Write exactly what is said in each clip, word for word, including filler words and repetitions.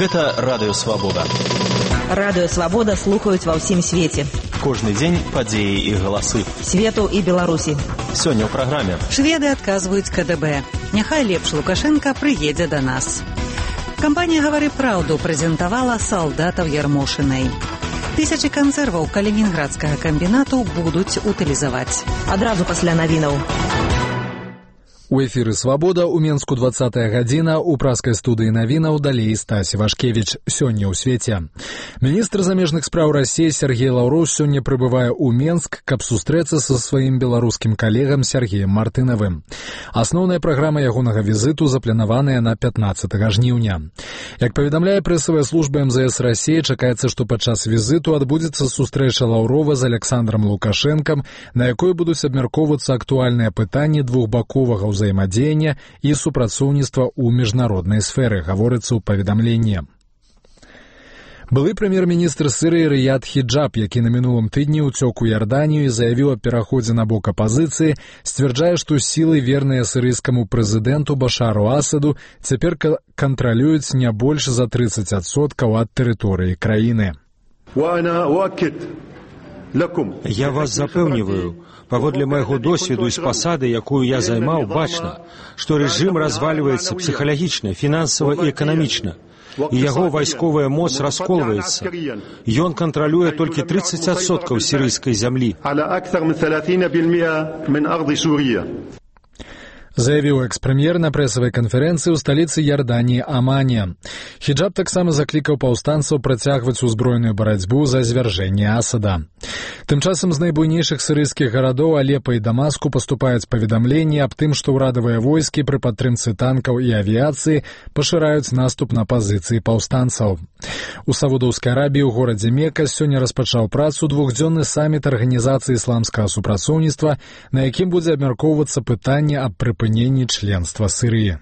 Гэта Радыё Свабода. Радыё Свабода слухаюць ва ўсім свеце. Кожны дзень падзеі і галасы. Свету і Беларусі. Сёння ў праграме. Шведы адказваюць ка дэ бэ. Няхай лепш Лукашенка прыедзе да нас. Кампанія «Гавары праўду» прэзентавала салдатаў Ярмошынай. Тысячы кансерваў калінінградскага камбінату будуць утылізаваць. Адразу пасля навінаў. У эфіры «Свабода» у Менску двадцатая гадзіна, у праскай студыі навінаў далей Стась Вашкевіч. Сёння ў свеце. Міністр замежных спраў Расіі Сергей Лаўроў сёння прыбывае ў Менск, каб сустрэцца са сваім беларускім калегам Сергеем Мартынавым. Асноўная праграма ягонага візіту запланаваная на пятнаццатага жніўня. Як паведамляе прэсавая служба эм зэ эс Расіі, чакаецца, што падчас візіту адбудзецца сустрэча Лаўрова з Александром Лукашэнкам, на якой будуць абмяркоўвацца актуальныя пытанні двухбаковага ўзаемадзеяння і супрацоўніцтва ў міжнароднай сферы, гаворыцца ў паведамленні. Былы прэм'ер-міністр Сірыі Рыяд Хіджаб, які на мінулым тыдні ўцёк у Ярданію і заявіў аб пераходзе на бок апазіцыі, сцвярджае, што сілы, верныя сірыйскаму прэзідэнту Башару Асаду, цяпер кантралююць не больш за трыццаць адсоткаў ад тэрыторыі краіны. Я вас запэўніваю, паводле майго досведу з пасады, якую я займаў, бачна, што рэжым развальваецца псіхалагічна, фінансава і эканамічна, і яго вайсковая моц расколваецца. Ён кантралюе толькі трыццаць адсоткаў сірыйскай зямлі. Заявіў экс-прэм'ер на прэсавай канферэнцыі ў сталіцы Ярданіі Амане. Хіджаб таксама заклікаў паўстанцаў працягваць узброеную барацьбу за звяржэнне Асада. Тым часам з найбуйнейшых сірыйскіх гарадоў Алепа і Дамаску паступаюць паведамленні аб тым, што ўрадавыя войскі пры падтрымцы танкаў і авіяцыі пашыраюць наступ на пазіцыі паўстанцаў. У Саудаўскай Арабіі ў горадзе Мека сёння распачаў працу двухдзённы саміт Арганізацыі ісламскага супрацоўніцтва, на якім будзе абмяркоўвацца пытанне аб прыпыненні членства Сірыі.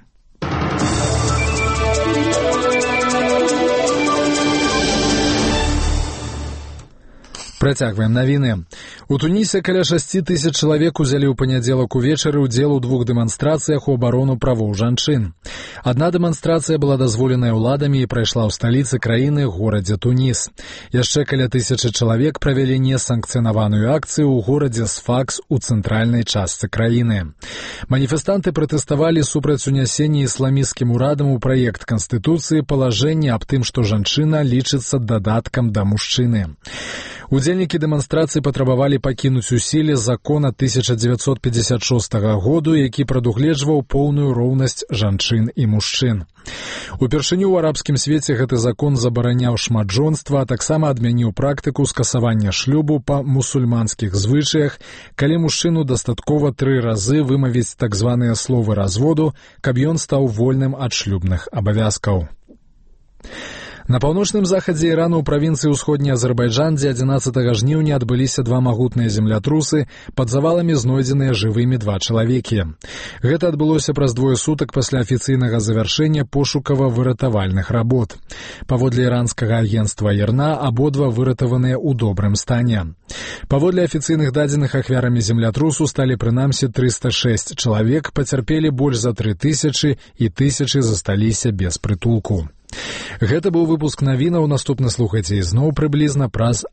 Працягваем навіны. У Тунісе каля шасці тысяч чалавек узялі ў панядзелак увечары ўдзел у двух дэманстрацыях у абарону правоў жанчын. Адна дэманстрацыя была дазволеная ўладамі і прайшла ў сталіцы краіны, горадзе Туніс. Яшчэ каля тысячы чалавек правялі несанкцыянаваную акцыю ў горадзе Сфакс у цэнтральнай частцы краіны. Маніфестанты пратэставалі супраць унясення ісламісцкім урадам у праект Канстытуцыі палажэння аб тым, што жанчына лічыцца дадаткам да мужчыны. Удзельнікі дэманстрацыі патрабавалі пакінуць у сіле закон ад тысяча дзевяцьсот пятьдесят шостага году, які прадугледжваў поўную роўнасць жанчын і мужчын. Упершыню ў арабскім свеце гэты закон забараняў шматжонства, а таксама адмяніў практыку скасавання шлюбу па мусульманскіх звычаях, калі мужчыну дастаткова тры разы вымавіць так званыя словы разводу, каб ён стаў вольным ад шлюбных абавязкаў. На паўночным захадзе Ірану ў правінцыі ўсходні Азербайджан, дзе адзінаццатага жніўня адбыліся два магутныя землятрусы, пад заваламі знойдзеныя жывымі два чалавекі. Гэта адбылося праз двое сутак пасля афіцыйнага завяршэння пошукава-выратавальных работ. Паводле іранскага агенцтва ІРНА абодва выратаваныя ў добрым стане. Паводле афіцыйных дадзеных ахвярамі землятрусу сталі прынамсі трыста шэсць чалавек, пацярпелі больш за тры тысячы і тысячы засталіся без прытулку. Гэта быў выпуск навінаў, наступна слухайце ізноў прыблізна праз